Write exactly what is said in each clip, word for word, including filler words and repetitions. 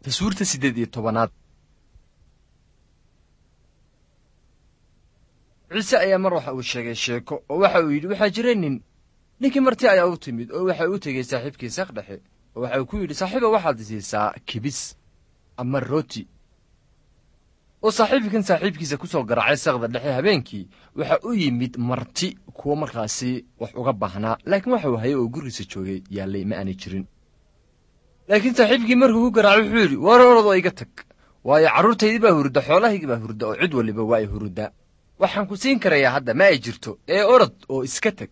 Taswiirta siddeed iyo tobanaad. Ciise ayaa mar waxa uu sheegay sheeko oo waxa uu yidhi waxaa jira nin. Ninkii marti ayaa u timid oo waxa uu tegey saaxiibkii saqdhexe oo waxa uu ku yidhi, saaxiiba, waxaad isiisaa kibis ama rooti. Oo saaxiibkan saaxiibkiisa ku soo garaacay saqda dhexe habeenkii waxa u yimid marti kuwo markaasi wax uga baahnaa, laakiin waxa uu hayay oo gurigiisa joogay yaallay ma aanay jirin. Laakiin saaxiibkii markuu ku garaacay wuxuu yidhi, war orodoo iga tag, waayo carruurtaydii baa hurda, xoolahaygii baa hurda, oo cid waliba waa ay huruddaa. Waxaan ku siin karayaa hadda ma ay jirto, ee orod oo iska tag.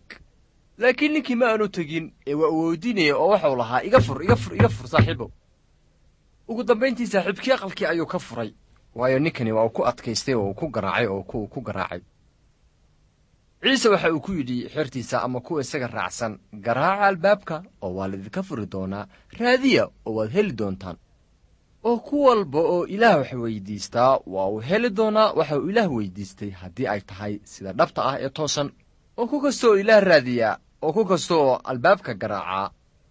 Laakiin ninkii ma aanu tegin ee waa uu weydiinaya oo waxau lahaa, iga fur, iga fur, iga fur saaxiibow. Ugu dambayntii saaxiibkii aqalkii ayuu ka furay, waayo ninkani waa uu ku adkaystay oo uu ku garaacay oo ku ku garaacay. Ciise waxa uu ku yidhi xertiisa ama kuwa isaga raacsan, garaaca albaabka oo waa laidinka furi doonaa, raadiya oo waad heli doontaan. Oo ku walba oo Ilaah wax weydiistaa waa uu heli doonaa waxa uu Ilaah weydiistay haddii ay tahay sida dhabta ah ee toosan. Oo ku kasta oo Ilaah raadiyaa oo ku kasta oo albaabka garaacaa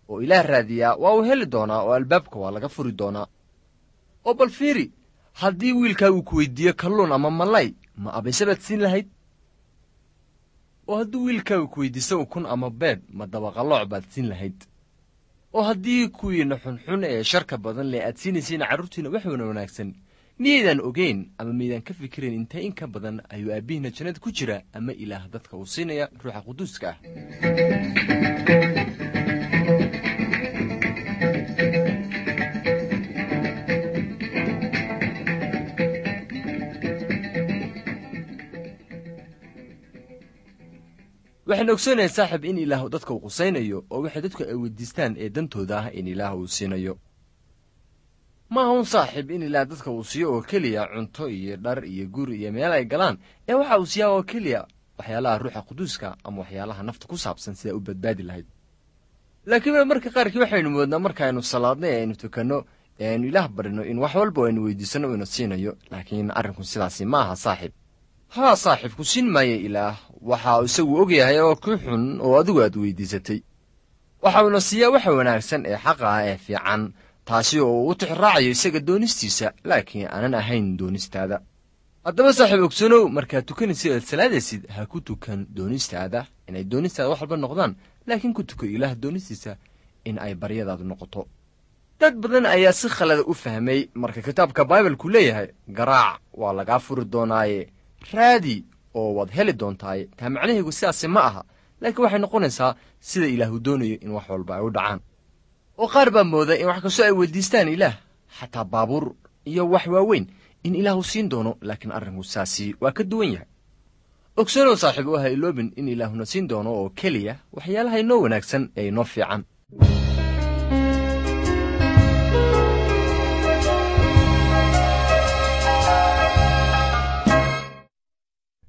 oo Ilaah raadiyaa waa uu heli doonaa oo albaabka waa laga furi doonaa. Oo bal fiiri, haddii wiilkaa uu ku weydiiyo kalluun ama malay, ma abayse baad siin lahayd? Oo haddii wiilkaagu ku weydiisto ukun ama beed, ma dabaqalooc baad siin lahayd? Oo haddii kuwiinna xunxun ee sharka badan leh aad siinaysiin carruurtiinna wax wana wanaagsan, miyaydaan ogeyn ama miyaydaan ka fikirayn intee in ka badan ayuu aabbihiinna jannada ku jira ama Ilaah dadka uu siinaya Ruuxa Quduuska ah? Waxaan ogsoonahay saaxib in Ilaah dadka uu qusaynayo oo waxay dadku ay weydiistaan ee dantooda ah in Ilaah uu siinayo. Ma aha un saaxiib in Ilaah dadka uu siiyo oo keliya cunto iyo dhar iyo guri iyo meel ay galaan, ee waxa uu siiyaa oo keliya waxyaalaha Ruuxa Quduuska ama waxyaalaha nafta ku saabsan sidaa u badbaadi lahayd. Laakiin marka qaarkii waxaynu moodnaa markaaynu salaadno ee aynu tukanno ee aynu Ilaah barino in wax walba aynu weydiisanno ina siinayo, laakiin arrinku sidaasi ma aha saaxiib. Haa saaxiib, ku siin maayo Ilaah waxa uu isagu og yahay oo ku xun oo adigu aad weydiisatay. Waxa uuna siiyaa waxa wanaagsan ee xaqa ah ee fiican, taasi oo uu u tixraacayo isaga doonistiisa, laakiin aanan ahayn doonistaada. Haddaba saaxiib ogsanow, markaad tukanaysid oad salaadaysid, ha ku tukan doonistaada inay doonistaada wax walba noqdaan, laakiin ku tuko Ilaah doonistiisa in ay baryadaadu noqoto. Dad badan ayaa si khalada u fahmay marka kitaabka Baibalku leeyahay, garaac waa lagaa furi doonaaye, raadi oo waad heli doontaaye. Taa macnaheegu sidaasi ma aha, laakiin waxay noqonaysaa sida Ilaahu doonayo in wax walba ay u dhacaan. Oo qaar baa mooda in wax kastoo ay weydiistaan Ilaah, xataa baabuur iyo wax waaweyn, in Ilaahu siin doono, laakiin arrinku saasi waa ka duwan yahay. Ogsanow saaxiib, oo ha iloobin in Ilaahuna siin doono oo keliya waxyaalaha inoo wanaagsan ee inoo fiican.